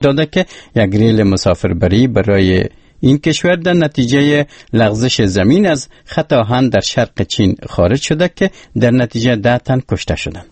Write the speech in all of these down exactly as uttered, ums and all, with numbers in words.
داده که یک ریل مسافربری برای این کشور در نتیجه لغزش زمین از خط آهن در شرق چین خارج شده که در نتیجه ده تن کشته شدند.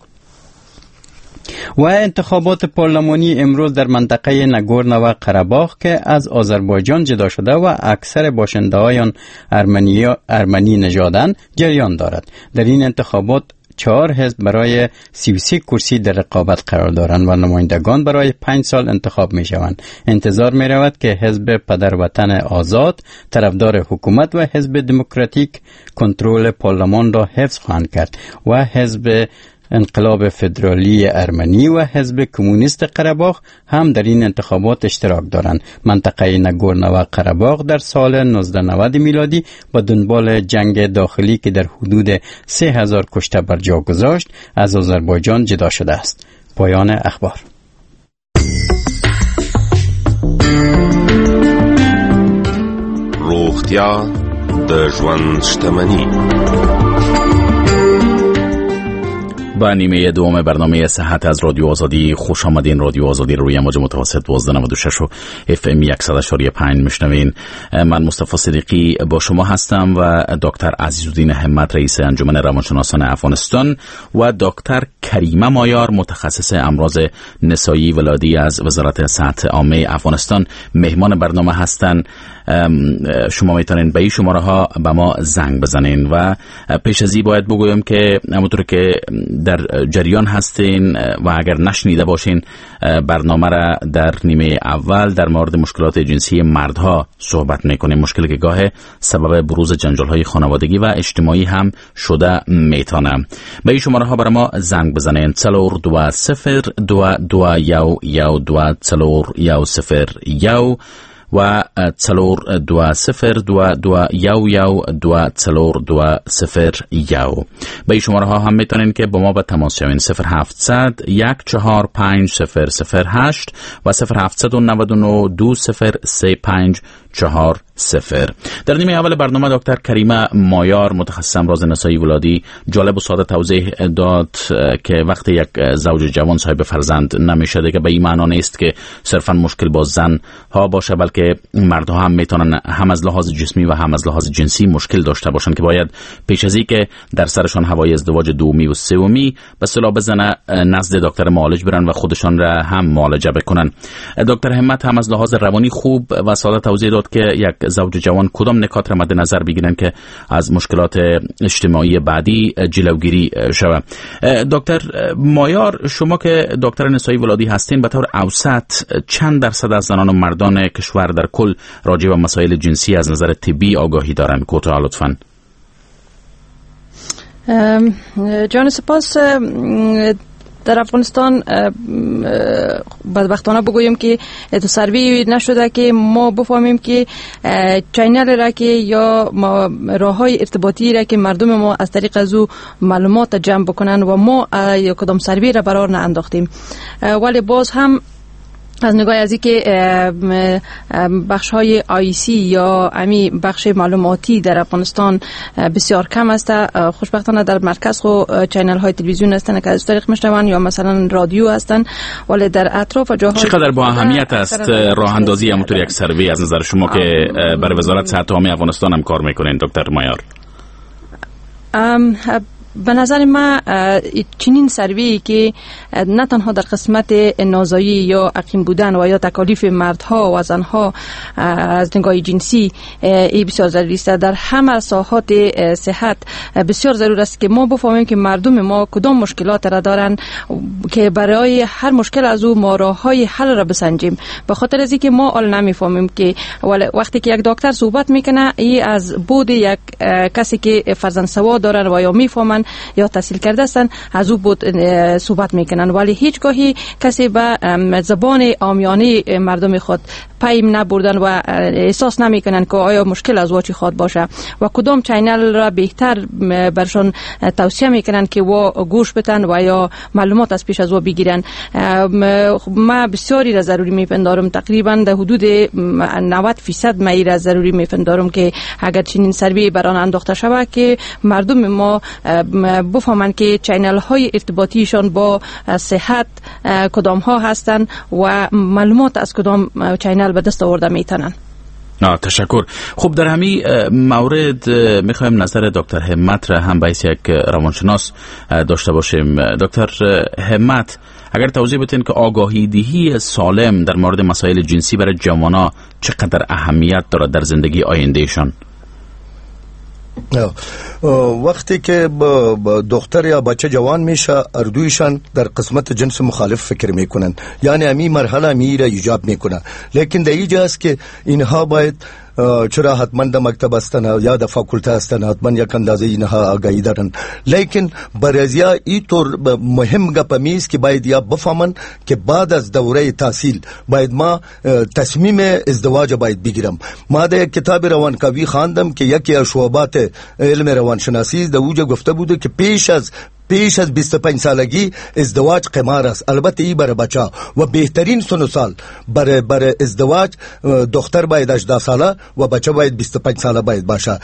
و انتخابات پارلمانی امروز در منطقه نگورنو و قره‌باغ که از آذربایجان جدا شده و اکثر باشنده‌های ارمنی ارمنی نژادند جریان دارد. در این انتخابات چهار حزب برای سی و سه کرسی در رقابت قرار دارند و نمایندگان برای پنج سال انتخاب می شوند. انتظار می رود که حزب پدر وطن آزاد طرفدار حکومت و حزب دموکراتیک کنترل پارلمان را حفظ خواهند کرد و حزب انقلاب فدرالی ارمنی و حزب کمونیست قره‌باغ هم در این انتخابات اشتراک دارند. منطقه نگورنو و قره‌باغ در سال نوزده نود میلادی با دنبال جنگ داخلی که در حدود سه هزار کشته بر جا گذاشت از آذربایجان جدا شده است. پایان اخبار. روغتیا د ژوند شتمنی. با نیمه دوم برنامه صحت از رادیو آزادی خوش آمدین. رادیو آزادی روی موج متوسط دوازده نود و شش و اف ام صد و پنج میشنوین. من مصطفی صدیقی با شما هستم و دکتر عزیزالدین همت رئیس انجمن روانشناسان افغانستان و دکتر کریمه مایار متخصص امراض نسایی ولادی از وزارت صحت عامه افغانستان مهمان برنامه هستند. شما میتونین به این شماره ها به ما زنگ بزنین و پیش از این باید بگویم که همونطور که در جریان هستین و اگر نشنیده باشین برنامه را در نیمه اول در مورد مشکلات جنسی مردها صحبت میکنیم، مشکلی که گاه سبب بروز جنجال های خانوادگی و اجتماعی هم شده میتونه. به این شماره ها برای ما زنگ بزنین: څلور دو صفر دو دو یو یو دو څلور یو صفر یو و څلور دو صفر دو دو یو یو دو څلور دو صفر یو. به این شماره ها هم میتونین که با ما به تماس شوین: صفر هفتصد یک چهار پنج صفر صفر هشت و صفر هفتصد و نود و نه دو صفر سه پنج چهار صفر. در نیمه اول برنامه دکتر کریمه مایار متخصص امراض نسایی ولادی جالب و ساده توضیح داد که وقتی یک زوج جوان صاحب فرزند نمیشه دیگه به این معنا نیست که صرفا مشکل با زن ها باشه، بلکه مردها هم میتونن هم از لحاظ جسمی و هم از لحاظ جنسی مشکل داشته باشن که باید پیش از اینکه در سرشان هوای ازدواج دومی و سومی به اصطلاح بزنه نزد دکتر معالج برن و خودشان را هم معالجه بکنن. دکتر همت هم از لحاظ روانی خوب و ساده توضیح داد که یک زوج جوان کدام نکات را مد نظر بگیرن که از مشکلات اجتماعی بعدی جلوگیری شود. دکتر مایار، شما که دکتر نسایی ولادی هستین، به طور اوسط چند درصد از زنان و مردان کشور در کل راجع به مسائل جنسی از نظر طبی آگاهی دارند؟ کوتاه لطفاً. جان سپاس. در افغانستان بدبختانه بگویم که سروی نشده که ما بفهمیم که channel را که یا راه های ارتباطی را که مردم ما از طریق از او معلومات جمع بکنن و ما یا کدام سروی را برار نانداختیم، ولی باز هم از نگاه از اینکه بخش های آی سی یا امی بخش معلوماتی در افغانستان بسیار کم است. خوشبختانه در مرکز خو channel های تلویزیون هستند که از طریق میشنون یا مثلا رادیو هستند، ولی در اطراف جاهای چقدر با اهمیت است راه اندازی همونطور یک سروی از نظر شما که برای وزارت صحت عامه افغانستان هم کار میکنین دکتر مایار؟ به نظر من چنین سروی که نه تنها در قسمت نازایی یا عقیم بودن و یا تکالیف مردها و زنها از نگاه جنسی ای بسیار ضروری است، در همه ساحات صحت بسیار ضرور است که ما بفهمیم که مردم ما کدام مشکلات را دارن که برای هر مشکل از او ما راه‌های حل را بسنجیم. به خاطر از اینکه ما حال نمیفهمیم که وقتی که یک دکتر صحبت میکنه ای از بود یک کسی که فرزند سواد دارن و یا میفهمن یا تحصیل کرده هستند از او بود صحبت میکنن، ولی هیچگاهی کسی به زبان عامیانه مردم خود پیم نبردن و احساس نمیکنن که آیا مشکل از وا چی خواد باشه و کدام channel را بهتر برشان توصیه میکنن که وا گوش بتن و یا معلومات از پیش از وا بگیرن. ما بسیاری را ضروری میپندارم، تقریبا در حدود نود فیصد ما را ضروری میپندارم که اگر چنین سروی بران انداخته شود که مردم ما بفهمند که channel های ارتباطیشان با صحت کدام ها هستند و معلومات از کدام channel به دست آورده میتونن. تشکر. خب در همین مورد میخوایم نظر دکتر همت را هم باعث یک روانشناس داشته باشیم. دکتر همت، اگر توضیح بدین که آگاهی دهی سالم در مورد مسائل جنسی برای جوانان چقدر اهمیت دارد در زندگی آیندهشان؟ وقتی که دختر یا بچه جوان میشه، اردویشان در قسمت جنس مخالف فکر میکنن، یعنی امی مرحله امی را ایجاب میکنه. لیکن در اینجا است که اینها باید چرا حتما در مکتب هستن یا در فاکولته هستن، حتما یک اندازه اینها آگاهی دارن. لیکن برازیا اینطور مهم گپ میست که باید یا بفهمن که بعد از دوره تحصیل باید ما تصمیم ازدواج باید بگیرم. ما در یک کتاب روانکاوی خواندم که یکی از شعبات علم روانشناسی در اوجه گفته بوده که پیش از پیش از بیست و پنج سالگی ازدواج قمار است. البته ای برای بچه و بهترین سن و سال برای برای ازدواج دختر باید هجده ساله و بچه باید بیست و پنج ساله باید باشه.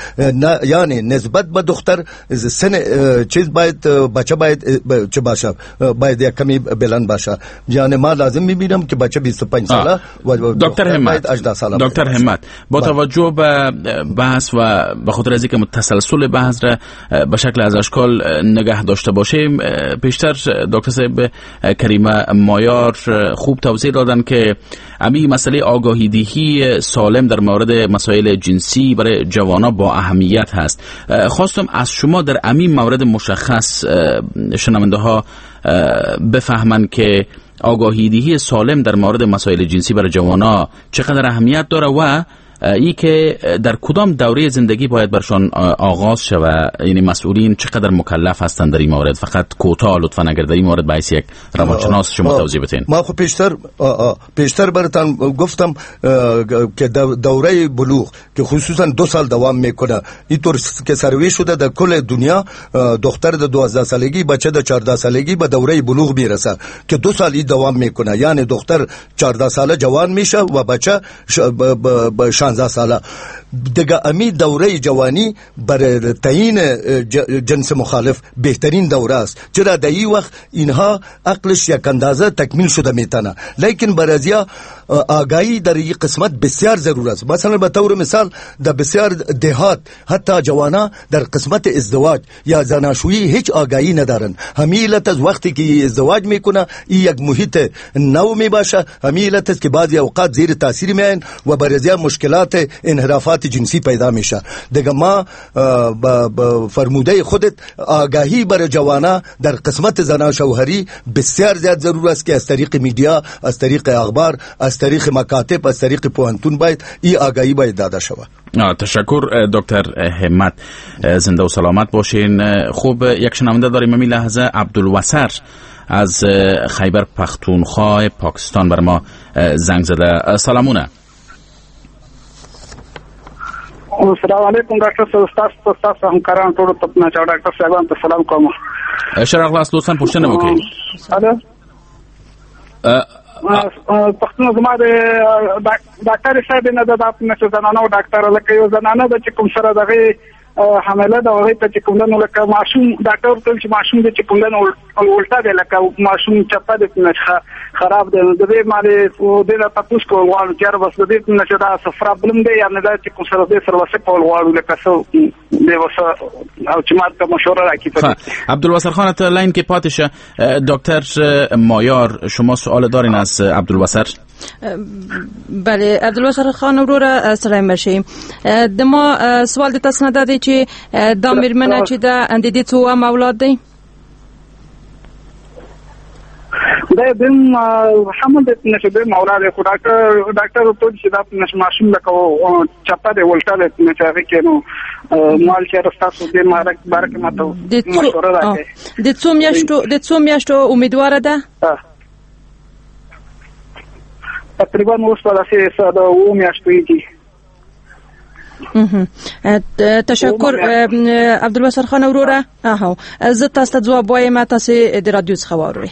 یعنی نسبت به دختر سن چیز باید بچه باید چه باشه، باید یک کمی بلند باشه. یعنی ما لازم میبینم که بچه بیست و پنج ساله و دختر باید هجده ساله. دکتر همت، با توجه به بحث و به خاطر از اینکه تسلسل بحث را به شکل از اشکال نگه داشته باشیم، پیشتر دکتر صاحب کریمه مایار خوب توضیح دادن که امی مسئله آگاهی دهی سالم در مورد مسائل جنسی برای جوانا با اهمیت هست. خواستم از شما در امی مورد مشخص شنونده ها بفهمن که آگاهی دهی سالم در مورد مسائل جنسی برای جوانا چقدر اهمیت داره و ای که در کدام دوره زندگی باید برشان آغاز شود، یعنی مسئولین چقدر مکلف هستند در این مورد. فقط کوتاه لطفا اگر در این مورد باعث یک روانشناس شما توضیح بدین. ما خب پیشتر پیشتر براتان گفتم که دوره بلوغ که خصوصا دو سال دوام میکنه، اینطور که سروی شده در کل دنیا، دختر در دوازده سالگی، بچه در چهارده سالگی به دوره بلوغ میرسه که دو سال دوام میکنه. یعنی دختر چهارده ساله جوان میشه و بچه شانزده ساله. دیگه امی دوره جوانی برای تعیین جنس مخالف بهترین دوره است، چرا در این وقت اینها عقلش یک اندازه تکمیل شده میتونه. لیکن برازیا آگاهی در این قسمت بسیار ضرور است. مثلا به طور مثال در بسیار دهات حتی جوانا در قسمت ازدواج یا زناشویی هیچ آگاهی ندارن. همین علت از وقتی که ازدواج میکنه این یک محیط نو میباشه، همین علت است که بعضی اوقات زیر تاثیر میاین و برازیا مشکلات انحرافات جنسی پیدا میشه. دیگه ما با فرموده خودت آگاهی برای جوانا در قسمت زنا شوهری بسیار زیاد ضرور است که از طریق media، از طریق اخبار، از طریق مکاتب، از طریق پوهنتون باید این آگاهی باید داده شود. تشکر دکتر همت، زنده و سلامت باشین. خوب یک شنونده داریم همین لحظه، عبدالوسر از خیبر پختونخوا پاکستان بر ما زنگ زده. سلامونه. السلام علیکم ډاکټر صاحب، تاسو تاسو همکاران ټول ته نه چا ډاکټر صاحب ته سلام کوم. ښه راغلاست، لطفاً پوښتنه وکړئ. پښتنه زما د ډاکټر صاحب نه د نه چې زنانه او ډاکټر لکه یو زنانه د چې کوم سره دغه حامله ده هغې ته چې کوم ده نو لکه ماشوم ډاکټر ورته ویل چې ماشوم دی چې کوم ده نو الټه دی، لکه ماشوم چپه دی نه خراب دی. نو د دې باندې دې نه تپوس کول غواړو چې یاره بس د دې نه چې دا څه پرابلم دی یا نه دا چې کوم سره دې سره وسه کول غواړو لکه څه دې وسه او چې ما ته مشوره راکړي. عبدالوسر خان ته line کې پاتې شه. دکتر مایار شما سوال دارین از عبدالوسر؟ بله عبدالوسر خان وروره سلام بشي. د ما سوال د تاسو نه دا دی چې دا مېرمنه چې ده د دې څو اولاد دی؟ دا دیم حمل د نشه د اولاد خو ډاکټر ډاکټر ورته چې دا نشه ماشوم لکه چپه دی ولټه دی نه چې هغه کې نو مال چې تاسو دې مارک بارک ماته مشوره راکړئ. د څو میاشتو د څو میاشتو امیدواره ده؟ تقریبا اوس په داسې د اوو میاشتو دي. تشکر عبدالوسر خان وروره. اها زه تاسو ته ځواب وایم، تاسو د رادیو څخه واورئ.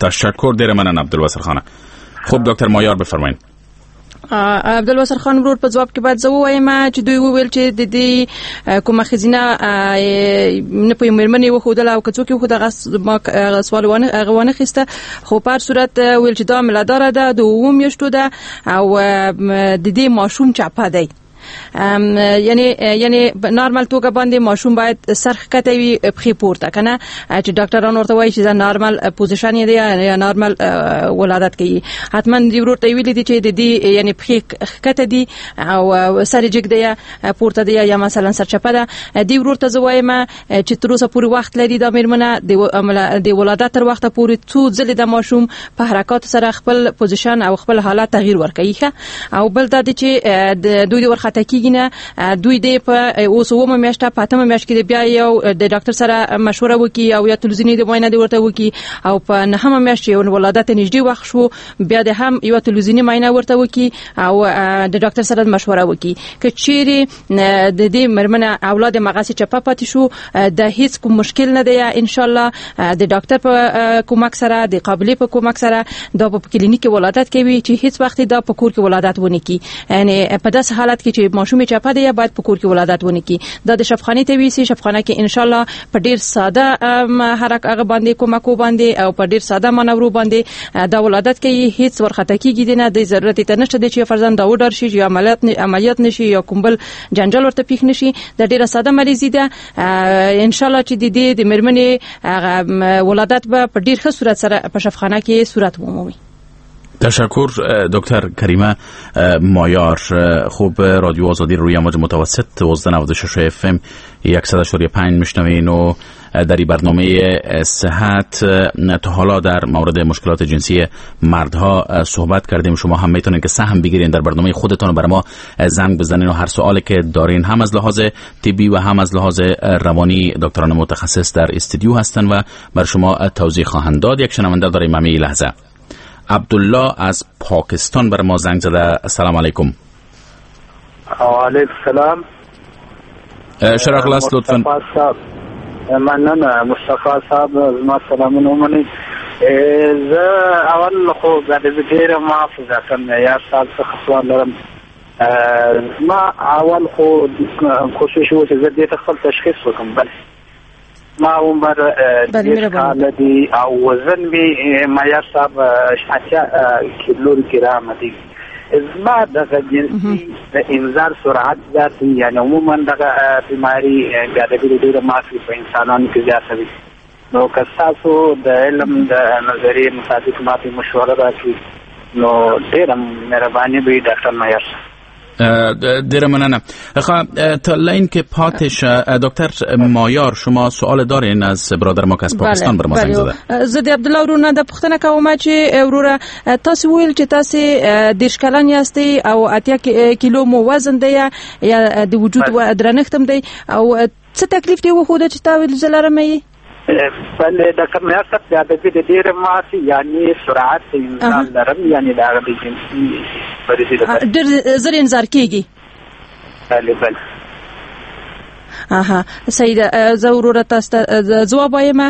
تشکر ډیره مننه عبدالوسر خان. خب دکتر مایار بفرمایید. عبدالواسر خان ورور په ځواب کې باید زه ووایم چې دوی وویل چې د دې کومه ښځینه نه په مېرمنې وښودله او که څوک یې وښوده هغه سوال هغه وانه خیسته، خو په هر صورت ویل چې دا حاملهداره ده، د اوو میاشتو ده او د دې ماشوم چپه دی. یعنی یعنی نارمل توګه باندې ماشوم باید سر ښکته وي، پښې پورته کنه، چې ډاکټران ورته وایي چې دا نارمل position یې دی یا نارمل ولادت کوي. حتما دی ورور ته ویلي دي چې د دې یعنی پښې ښکته دي او سر یې جګ دی پورته دی یا مثلا سرچپه ده. دی ورور ته زه وایم چې تر اوسه پورې وخت لري دا مېرمنه د ولادت تر وخته پورې څو ځلې د ماشوم په حرکاتو سره خپل position او خپل حالت تغییر ورکوي. او بل دا دی چې دوی ورخطا کیږي نه، دوی دې په اوس اوومه میاشت په اتمه میاشت کې بیا یو د ډاکټر سره مشوره وکړي او یا تلویزیوني د معاینه دې ورته وکړي، او په نهمه میاشت چې ولادت نږدې وخت شو بیا د هم یو تلویزیوني معاینه ورته وکړي او د ډاکټر سره مشوره وکړي. که چیرې د دې مېرمنه اولاد مغاسي چپه پاتې شو د هیڅ کوم مشکل نه دی، ان شاء الله د ډاکټر په کومک سره د قابلې په کومک سره دا په کلینیک کې ولادت کوي چې هیڅ وخت دا په کور کې ولادت ونه کړي. یعنی په داسې حالت کې چې ماشوم چپه دی باید په کور کې ولادت ونه کړي، دا د شفخانې ته ویسي. شفخانه کې ان شاء الله په ډیر ساده حرکت هغه باندې کومک باندې او په ډیر ساده منورو باندې دا ولادت کوي، هیڅ ورخطا کیږي نه. د ضرورت ته نشته چې فرزند دا وډر شي یا عملیات عملیات نشي یا کوم بل جنجال ورته پیښ نشي. دا ډیره ساده مریضي ده. ان شاء الله چې د دې د مېرمنې ولادت به په ډیر ښه صورت سره په شفخانه کې صورت ومومي. تشکر دکتر کریمه مایار. خوب رادیو آزادی روی امواج متوسط دوازده نود و شش اف ام صد و پنج میشنوین و در این برنامه صحت تا حالا در مورد مشکلات جنسی مردها صحبت کردیم. شما هم میتونین که سهم بگیرین در برنامه خودتون و بر ما زنگ بزنین و هر سوالی که دارین هم از لحاظ طبی و هم از لحاظ روانی دکتران متخصص در استودیو هستن و بر شما توضیح خواهند داد. یک شنونده داریم همین لحظه، عبدالله از پاکستان بر ما زنگ زده. السلام علیکم. وعلیکم السلام. شرق لاست لطفاً. مننه مصطفی صاحب، زما سلامونه ومنئ. زه اول خو د ډېره معاف ځکه معیار صاحب څخه سوال لرم. زما اول خو کوشش و چې زه دې ته خپل تشخیص وکړم. بله ما عمر دېرش کاله دی او وزن مې معیار صاحب اتیا کیلو ګرامه دی. زما دغه جنسي د انذار سرعت زیات دی، یعنی عموما دغه بیماری بیا د ډېره معافي په انسانانو کې زیاته وي. نو که ستاسو د علم د نظریې مطابق ما ته مشوره راکړي نو ډېره مهرباني به وي ډاکټر معیار صاحب. ډیره مننه. ښه تا line کې پاتې شه. دکتر مایار شما سوال دارین از برادر ما که از پاکستان بر ما زنگ زده؟ زه د عبدالله وروره دا پوښتنه کوم چې وروره تاسو ویل چې تاسو دېرش کلن یاستئ او اتیا کیلو مو وزن دی یا د وجود درنښت هم دی، او څه تکلیف دی وښوده چې تا ویل زه لرم یې؟ بله ډاکټر معیار صاحب د ادبي د ډېره معافي یعنی سرعت انزال لرم، یعنی د هغه د جنسي مریضي لپاره ډېر زر انذار کېږي. بله بله اها صحیح ده. زه وروره تاسو ته ځواب وایم،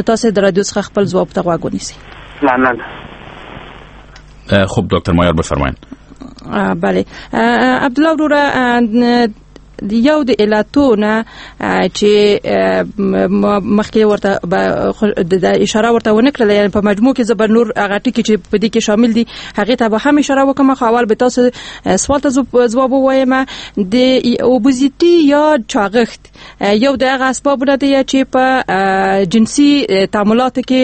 تاسو د رادیو څخه خپل ځواب ته غوږ ونیسئ. مننه. خب دکتر مایار بفرمایید. بله عبدالله وروره، یو د علتونه چې مخکې ورته د اشاره ورته ونه کړله، یعنی په مجموع کې زه به نور هغه ټکي چې په دې کې شامل دي هغې ته به هم اشاره وکړم، خو اول به تاسو سوال ته ځواب ووایم. د obesity یا چاغښت یو د هغه اسبابونه دی چې په جنسي تعاملاتو کې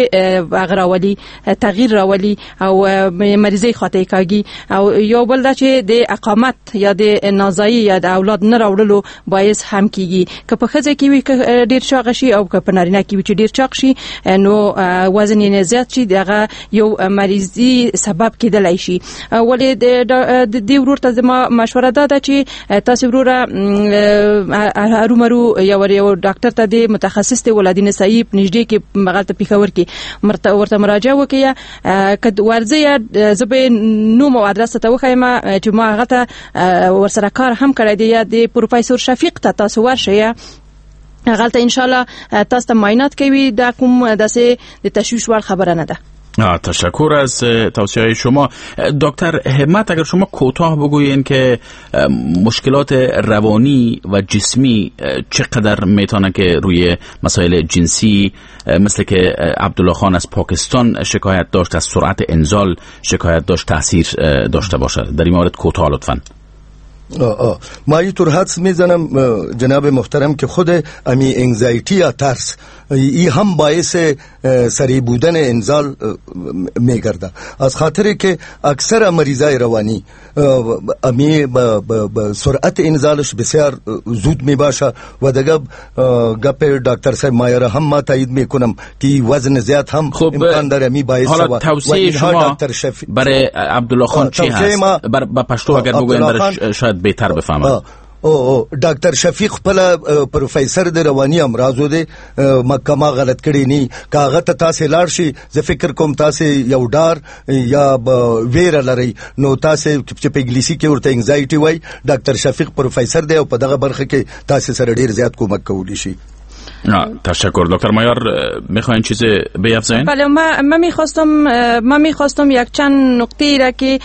هغه راولي، تغییر راولي او مریضۍ خاطر کاږي. او یو بل دا چې د اقامت یا د نازایی یا د اولاد نه راوړلو باعث هم کیږي. که په ښځه کې وي که ډیر چاغ شي او که په نارینه کې وي چې ډیر چاغ شي نو وزن یې زیات شي، دغه یو مریضي سبب کېدلی شي. ولې د دې ورور ته زما مشوره دا ده چې تاسو وروره هرومرو یو یو ډاکټر ته د متخصص دی ولادي نسایي نږدې کې مغلطه پېښور کې ورته مراجعه وکړئ. که ورځئ زه به نوم او ادرس ته وښایم چې ما هغه ته ورسره کار هم کړی دی، یا د پروفیسور شفیق ته تاسو ورشئ، هغلته ان شاء الله تاسو ته معاینات کوي. دا کوم داسې د تشویش وړ خبره نه ده. تشکر از توصیه های شما. دکتر همت، اگر شما کوتاه بگویین که مشکلات روانی و جسمی چقدر میتونه که روی مسائل جنسی، مثل که عبدالله خان از پاکستان شکایت داشت، از سرعت انزال شکایت داشت، تاثیر داشته باشد، در این مورد کوتاه لطفاً. آه آه. ما اینطور حدس میزنم جناب محترم که خود امی anxiety یا ترس ای هم باعث سریع بودن انزال میگرده، از خاطر که اکثر مریضای روانی امی با سرعت انزالش بسیار زود میباشه و دیگه گپ دکتر صاحب مایار هم ما تایید میکنم که وزن زیاد هم امکان داره می باعث. حالا توصیه شما برای عبدالله خان چی هست؟ بر با پشتو اگر بگوین برای شاید بهتر بفهمم. او ډاکټر شفیق خپل پروفیسور د رواني امراضو دی، مکه ما غلط کړی نه، کاغه ته تاسو لاړ شي زه فکر کوم تاسو یو ډار یا ویره لرئ، نو تاسو چې په انګلیسي کې ورته anxiety وای، ډاکټر شفیق پروفیسور دی او په دغه برخه کې تاسو سره ډیر زیات کومک کولی شي. تشکر. دکتر مایار، میخواین چیز بیافزایین؟ بله، من من میخواستم من میخواستم یک چند نکته را که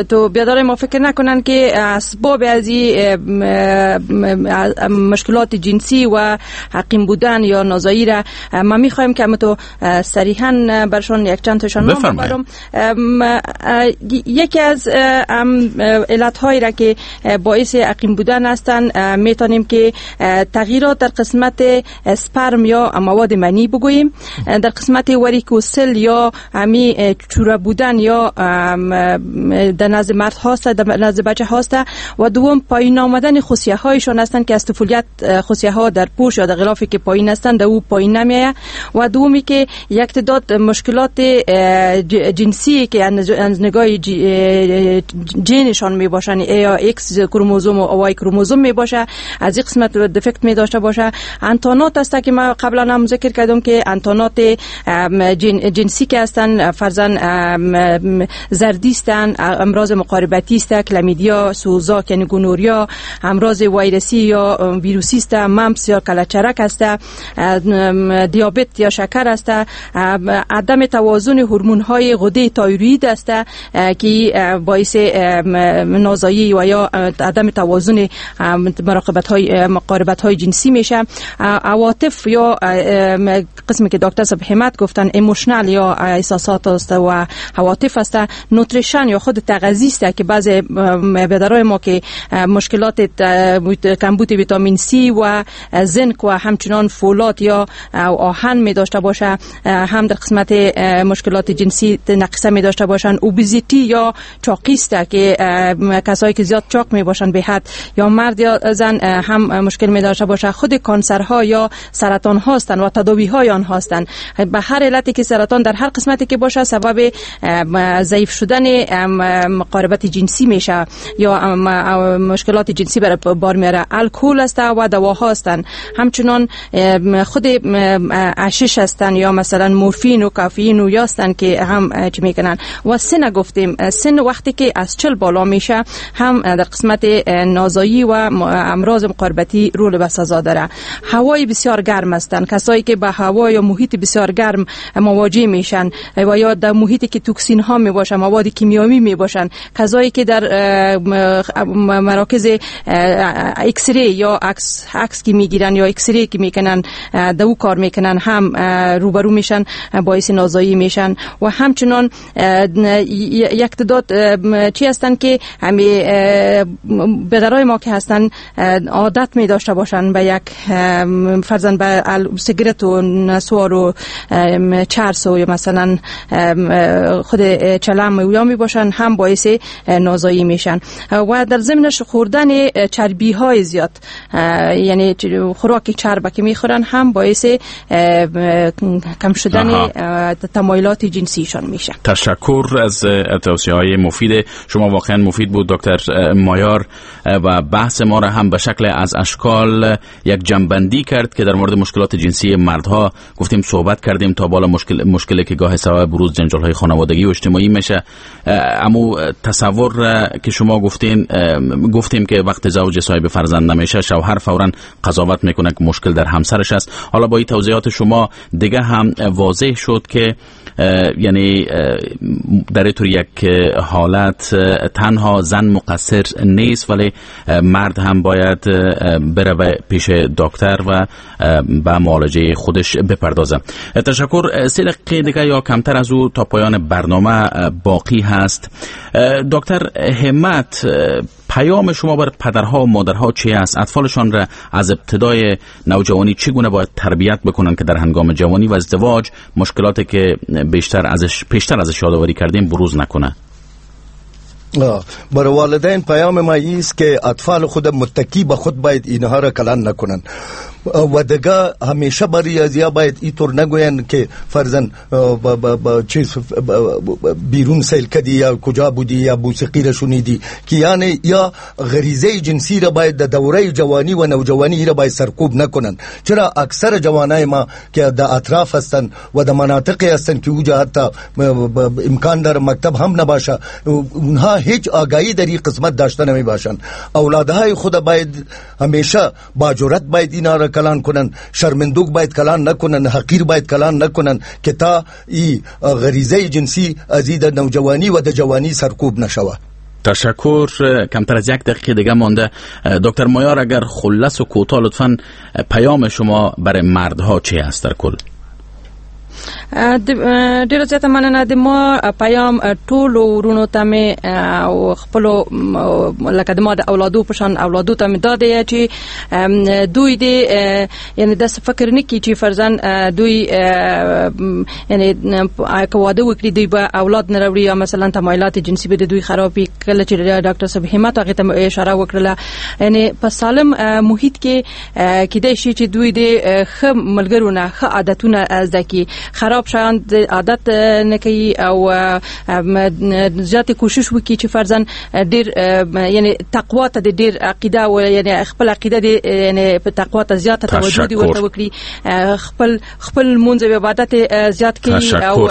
تو بیادر ما فکر نکنن که اسباب از مشکلات جنسی و حقیم بودن یا نازایی را من میخوایم که تو صریحا برشون یک چند تاشان نام ببرم. یکی از علت‌هایی را که باعث عقیم بودن هستند، میتونیم که تغییرات در قسمت سپرم یا مواد منی بگوییم، در قسمت وریکوسل یا همی چوره بودن یا در نزد مرد هاست، در نزد بچه هاست، و دوم پایین آمدن خصیه هایشان هستند که از طفولیت خصیه ها در پوش یا در غلافی که پایین هستند در او پایین نمیایه، و دومی که یک تعداد مشکلات جنسی که از نگاه جنشان می باشن، یا ایکس کروموزوم و وای کروموزوم می باشه، از این قسمت defect می داشته باشه. انتانات است که ما قبلا هم ذکر کردم که انتانات جن جنسی که هستن، فرضاً زردی هستن، امراض مقاربتی است، کلامیدیا، سوزاک یعنی gonorrhea، امراض ویروسی یا ویروسی است، mumps یا کلچرک است، دیابت یا شکر است، عدم توازن هورمون های غده تایروئید است که باعث نازایی و یا عدم توازن مراقبت های مقاربت های جنسی میشه. عواطف یا قسمی که دکتر صاحب همت گفتن emotional یا احساسات است و عواطف است، nutrition یا خود تغذیه است که بعض بیادرای ما که مشکلات کمبود ویتامین سی و زنک و همچنان فولاد یا آهن می داشته باشه، هم در قسمت مشکلات جنسی نقصه می داشته باشن. obesity یا چاقی است که کسایی که زیاد چاق می باشن به حد یا مرد یا زن هم مشکل می داشته باشه. خود کانسرها یا سرطان هستند و تداوی های آن هستند. به هر علتی که سرطان در هر قسمتی که باشه سبب ضعیف شدن مقاربت جنسی میشه یا مشکلات جنسی بر بار میاره. الکل است و دواها هستند، همچنان خود عشش هستند یا مثلا مورفین و کافئین و یا هستند که هم چی میکنن. و سن گفتیم، سن وقتی که از چل بالا میشه هم در قسمت نازایی و امراض مقاربتی رول بسزا داره. هوای بسیار گرم هستند، کسایی که به هوا یا محیط بسیار گرم مواجه میشن و یا در محیطی که توکسین ها می باشن، مواد کیمیایی می باشن، کسایی که در مراکز X-ray یا عکس عکس که میگیرن یا X-ray که میکنن دو کار میکنن هم روبرو میشن، باعث نازایی میشن. و همچنان یک تعداد چی هستن که همی بدرای ما که هستن عادت می داشته باشن به یک فرضاً به سیگرت و نسوار و چرس و یا مثلا خود چلم و یا می باشن، هم باعث نازایی میشن. و در ضمنش خوردن چربی های زیاد، یعنی خوراک چرب که میخورن هم باعث کم شدن تمایلات جنسیشان میشه. تشکر از توصیه های مفید شما، واقعا مفید بود دکتر مایار و بحث ما را هم به شکل از اشکال یک جنبندی کرد که که در مورد مشکلات جنسی مردها گفتیم صحبت کردیم تا بالا مشکل مشکلی که گاه سبب بروز جنجال‌های خانوادگی و اجتماعی میشه. اما تصور که شما گفتین، گفتیم که وقت زوج صاحب فرزند نمیشه شوهر فوراً قضاوت میکنه که مشکل در همسرش است. حالا با این توضیحات شما دیگه هم واضح شد که یعنی در اینطور یک حالت تنها زن مقصر نیست، ولی مرد هم باید بره پیش دکتر و به معالجه خودش بپردازه. تشکر. سه دقیقه دیگه یا کمتر از او تا پایان برنامه باقی هست. دکتر همت، پیام شما بر پدرها و مادرها چی است؟ اطفالشان را از ابتدای نوجوانی چگونه باید تربیت بکنن که در هنگام جوانی و ازدواج مشکلاتی که بیشتر ازش پیشتر ازش یادآوری کردیم بروز نکنه؟ برای والدین پیام ما است که اطفال خود متکی به خود باید اینها را کلان نکنن و دیگه همیشه برای از یا باید اینطور نگوین که فرضاً چیز بیرون سیل کدی یا کجا بودی یا موسیقی را شنیدی، که یعنی یا غریزه جنسی را باید در دوره جوانی و نوجوانی را باید سرکوب نکنن. چرا اکثر جوانای ما که در اطراف هستند و در مناطقی هستند که اوجا حتی امکان در مکتب هم نباشه، اونها هیچ آگاهی در این قسمت داشته نمی باشند. اولادهای خود باید همیشه با جرأت باید اینا را کلان کنن، شرمندوک باید کلان نکنن، حقیر باید کلان نکنن که تا ای غریزه جنسی از در نوجوانی و در جوانی سرکوب نشوه. تشکر. کمتر از یک دقیقه دیگه مانده. دکتر مایار، اگر خلص و کوتاه لطفاً پیام شما برای مردها چی است در کل؟ ډیره زیاته مننه. د ما پیام ټولو ورونو ته مې او خپلو لکه د ما د اولادو په شان اولادو ته مې دا دی چې دوی دې یعنی داسې فکر نه کړي چې فرضاً دوی یعنی که واده وکړي دوی به اولاد نه راوړي یا مثلا تمایلات جنسي به د دوی خراب وي. کله چې ډاکټر صاحب همت هغې ته اشاره وکړله، یعنی په سالم محیط کې کیدای شي چې دوی دې ښه ملګرونه ښه عادتونه زده کړي، خراب شیان عادت نه کوي او زیات کوشش وکړي چې فرضاً ډیر یعنی تقوا ته ډیر عقیده او یعنی خپل عقیده دی یعنی په تقوا ته زیات توجه دی ورته وکړي، خپل خپل منځ او عبادت زیات کړي او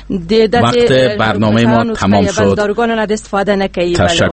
د وقت برنامه ما تمام شد. داروگان نه استفاده نکړي.